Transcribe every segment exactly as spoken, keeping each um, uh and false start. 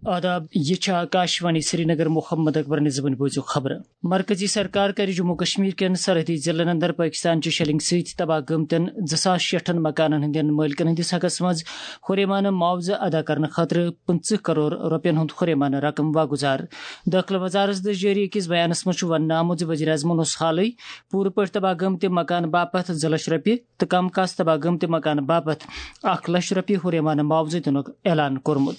آداب، یہِ چھِ آکاشوانی سرینگر۔ محمد اکبر نظمن بوٗزِو خبرٕ۔ مرکزی سرکار کَرِ جموں کشمیر کٮ۪ن سرحدی ضلعن اندر پٲکستان چہِ شیلنگ سۭتۍ تباہ گٔمتٮ۪ن زٕ ساس شیٹھن مکانن ہٕنٛدٮ۪ن مٲلکن ہٕنٛدِس حقس منٛز ہُریمانہٕ معاوضہٕ ادا کرنہٕ خٲطرٕ پٕنٛژٕہ کرور رۄپین ہُنٛد ہُریمانہٕ رقم واگُزار۔ دٲخلہٕ وزارتس دٔسۍ جٲری أکِس بیانس منٛز چھُ وننہٕ آمُت زِ وزیر اعظمن اوس حالٕے پوٗرٕ پٲٹھۍ تباہ گٔمتہِ مکانہٕ باپتھ زٕ لچھ رۄپیہِ تہٕ کم کاس تباہ گٔمتہِ مکانہٕ باپتھ اکھ لچھ رۄپیہِ ہُریمانہٕ معاوضہٕ دِنُک اعلان کوٚرمُت۔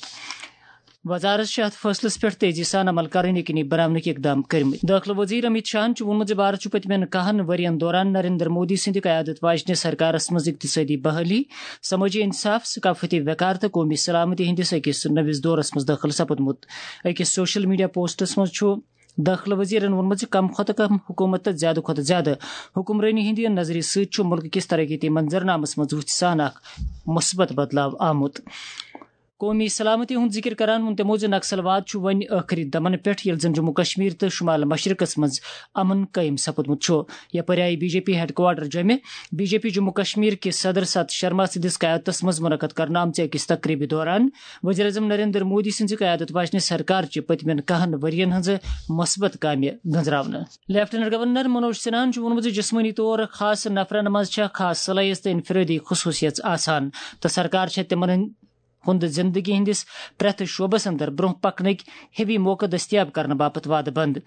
وزارت چھِ اتھ فٲصلس پٮ۪ٹھ تیزی سان عمل کرٕنۍ یقینی بناونٕکۍ اقدام کٔرمٕتۍ۔ دٲخلہٕ وزیر امیت شاہن چھُ ووٚنمُت زِ بھارت چھُ پٔتمٮ۪ن کہن ؤرین دوران نریندر مودی سٕنٛدِ قیادت واجنہِ سرکارس منٛز اقتصٲدی بحالی، سمٲجی انصاف، ثقافتی وقار تہٕ قومی سلامتی ہٕنٛدِس أکِس نٔوِس دورس منٛز دٲخل سپُدمُت۔ أکِس سوشل میڈیا پوسٹس منٛز چھُ دٲخلہٕ وزیرن ووٚنمُت زِ کم کھۄتہٕ کم حکومت تہٕ زیادٕ کھۄتہٕ زیادٕ حکمرٲنی ہٕنٛدِ نظرِ سۭتۍ چھُ مُلکہٕ کِس ترقیتی منظرنامس منٛز وُژھِ سان اکھ مثبت بدلاو آمُت۔ قومی سلامتی ہُنٛد ذکر کران ووٚن تِمو زِ نکسل واد چھُ وۄنۍ ٲخری دمن پٮ۪ٹھ، ییٚلہِ زن جموں کشمیر تہٕ شمال مشرقس منٛز امن قٲیِم سپُدمُت چھُ۔ یپٲرۍ آیہِ B J P headquarter جوٚمہِ B J P Jammu Kashmir کِس صدر ست شرما سٕنٛدِس قیادتس منٛز منعقد کرنہٕ آمژِ أکِس تقریبہِ دوران وزیر اعظم نریندر مودی سٕنٛزِ قیادت واجنہِ سرکار چہِ پٔتمٮ۪ن کہن ؤرین ہٕنٛزٕ مثبت کامہِ گنزراونہٕ۔ لیفٹیننٹ گورنر منوج سنہاہن چھُ ووٚنمُت زِ جسمٲنی طور خاص نفرن منٛز چھےٚ خاص صلٲحیت تہٕ انفرٲدی خصوصیژ آسان تہٕ سرکار چھےٚ تِمن ہُنٛد ہُنٛد زندگی ہٕنٛدِس پرٛٮ۪تھ شعبس اندر برٛونٛہہ پکنٕکۍ ہِوی موقعہٕ دٔستیاب کرنہٕ باپتھ وعدٕ بنٛد۔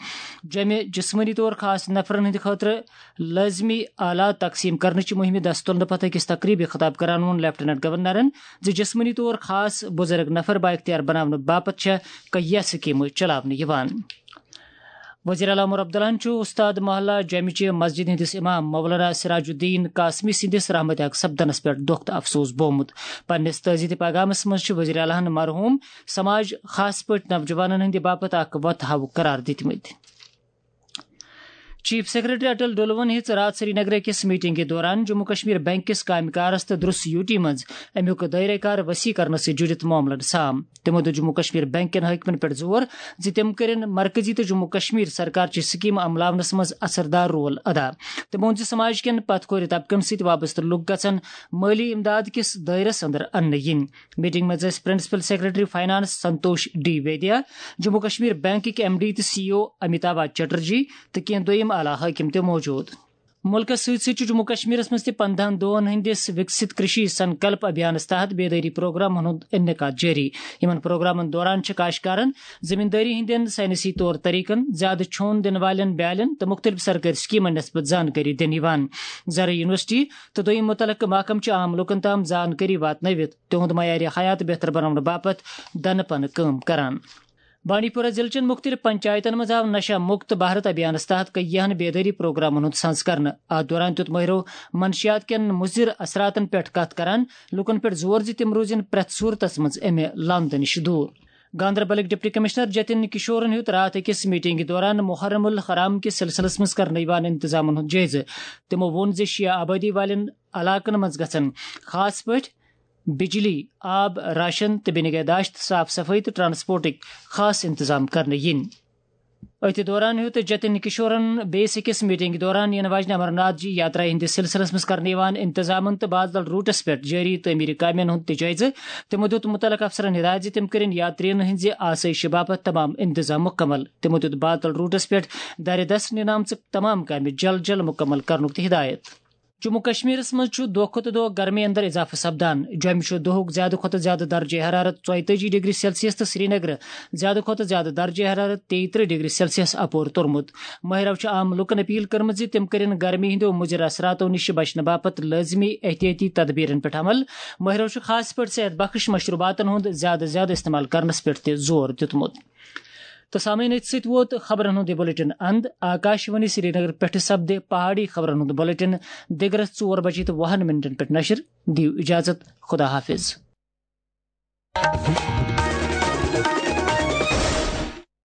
جمع جسمٲنی طور خاص نفرن ہٕنٛدِ خٲطرٕ لٲزمی آلات تقسیٖم کرنٕچ مُہِمہِ دست تُلنہٕ پتہٕ أکِس تقریٖبہِ خطاب کران ووٚن لیفٹیننٹ گورنرن زِ جسمٲنی طور خاص بُزرگ نفر بااختیار بناونہٕ باپتھ چھےٚ کیٚنٛہہ سکیٖمہٕ چلاونہٕ یِوان۔ وزیر اعلیٰ عمر عبداللہن چھُ استاد محلہ جامع چہِ مسجد ہٕنٛدِس امام مولانا سراج الدین قاسمی سٕنٛدِس رحمتِ حق سپدنس پٮ۪ٹھ دۄکھ تہٕ افسوس بومُت۔ پننِس تعزیتی پیغامس منٛز چھِ وزیر اعلیٰ ہن مرحوم سماج، خاص پٲٹھۍ نوجوانن ہٕنٛدِ باپتھ اکھ وتھ ہاوُک قرار دِتمٕتۍ۔ چیف سیکرٹری اٹل ڈولون ہیٚژ راتھ سرینگرٕ أکِس میٹنگہِ دوران جموں کشمیر بینک کِس کامہِ کارس تہٕ درس یوٗٹی منٛز امیُک دٲیرٕ کار وسیع کرنس سۭتۍ جُڑِتھ معاملن سام۔ تِمو دیُت جموں کشمیر بینک کٮ۪ن حٲکمن پٮ۪ٹھ زور زِ تِم کٔرِن مرکزی تہٕ جموں کشمیر سرکار چہِ سکیمہٕ عملاونس منٛز اثردار رول ادا۔ تِمو ووٚن زِ سماج کٮ۪ن پتھ کھورِ طبقن سۭتۍ وابستہٕ لوٗکھ گژھن مٲلی امداد کِس دٲیرس اندر اننہٕ یِنۍ۔ میٹنگ منٛز ٲسۍ principal secretary finance Santosh D Vaidya, Jammu Kashmir بینکٕکۍ ایم ڈی تہٕ C E O Amitabh Chatterjee تہٕ کینٛہہ دوٚیِم اعلیٰ حٲکم تہِ موجود۔ مُلکَس سۭتۍ سۭتۍ چھُ جموں کشمیرَس منٛز تہِ پنٛداہن دۄہَن ہٕنٛدِس وِکسِت کرشی سنکلپ ابھیانَس تحت بیدٲری پروگرامَن ہُنٛد انعقاد جٲری۔ یِمَن پروگرامَن دوران چھِ کاشتکارَن زٔمیٖندٲری ہٕنٛدٮ۪ن ساینسی طور طریقَن، زیادٕ چھۄن دِنہٕ والٮ۪ن بیالٮ۪ن تہٕ مُختٔلِف سرکٲرۍ سکیٖمَن نسبت زانکٲری دِنہٕ یِوان۔ زرعی یونیورسٹی تہٕ دوٚیِم مُتعلقہٕ محکمہٕ چھِ عام لوٗکَن تام زانکٲری واتنٲوِتھ تِہُنٛد معیارِ حیات بہتر بناونہٕ باپتھ دَنہٕ پنہٕ کٲم کران۔ بانڈی پورہ ضلعہٕ چٮ۪ن مُختٔلِف پنچایتن منٛز آو نشہ مُکت بھارت ابھیانس تحت کیاہن بیدٲری پروگرامن ہُنٛد سنز کرنہٕ۔ اتھ دوران دیُت مٲہرو منشیات کٮ۪ن مُضر اثراتن پٮ۪ٹھ کتھ کران لوٗکن پٮ۪ٹھ زور زِ تِم روزن پرٛٮ۪تھ صورتس منٛز امہِ لامدٕ نِش دوٗر۔ گاندربلٕکۍ ڈپٹی کمشنر جتن کشورن ہیوٚت راتھ أکِس میٹنگہِ دوران محرم الحرام کِس سلسلس منٛز کرنہٕ یِوان انتظامن ہُنٛد جٲیزٕ۔ تِمو ووٚن زِ شیعہ آبٲدی والٮ۪ن علاقن منٛز گژھن خاص پٲٹھۍ بجلی، آب، راشن تہٕ بے نگہداشت، صاف صفٲیی تہٕ ٹرانسپورٹٕکۍ خاص انتظام کرنہٕ یِنۍ۔ أتھۍ دوران ہیوٚت جتن کشورن بیٚیِس أکِس میٹنگہِ دوران یِنہٕ واجنہِ امرناتھ جی یاترا ہٕنٛدِس سلسلس منٛز کرنہٕ یِوان انتظامن تہٕ بادل روٹس پٮ۪ٹھ جٲری تعمیٖری کامٮ۪ن ہُنٛد تہِ جٲیزٕ۔ تِمو دیُت مُتعلقہٕ افسرن ہدایت زِ تِم کٔرِن یاترین ہٕنٛزِ آسٲیشہِ باپتھ تمام انتظام مُکمل۔ تِمو دیُت بادل روٹس پٮ۪ٹھ دارِ دست نِنہٕ آمژٕ تمام کامہِ جلد جلد مُکمل کرنُک تہِ ہدایت۔ جموں کشمیرس منٛز چھُ دۄہ کھۄتہٕ دۄہ گرمی اندر اضافہٕ سپدان۔ جوٚمہِ چھُ دۄہُک زیادٕ کھۄتہٕ زیادٕ درجہ حرارت ژۄیتٲجی ڈگری سیلسیس تہٕ سرینگرٕ زیادٕ کھۄتہٕ زیادٕ درجہ حرارت تیٚیہِ ترٕٛہ ڈگری سیلسیس اپور توٚرمُت۔ ماہرو چھُ عام لوٗکن اپیل کٔرمٕژ زِ تِم کٔرِن گرمی ہٕنٛدیو مُضر اثراتو نِش بچنہٕ باپتھ لٲزمی احتیاطی تدبیرن پٮ۪ٹھ عمل۔ ماہرو چھُ خاص پٲٹھۍ صحت بخش مشروباتن ہُنٛد زیادٕ زیادٕ استعمال کرنس پٮ۪ٹھ تہِ زور دیُتمُت۔ تہٕ سامعیٖن، أتھۍ سۭتۍ ووت خبرن ہُنٛد یہِ بُلٹن اند۔ آکاش وانی سرینگر پٮ۪ٹھٕ سپدِ پہاڑی خبرن ہُنٛد بُلٹن دِگرس ژور بجے تہٕ وُہن منٹن پٮ۪ٹھ نشر۔ دِیِو اجازت، خدا حافظ۔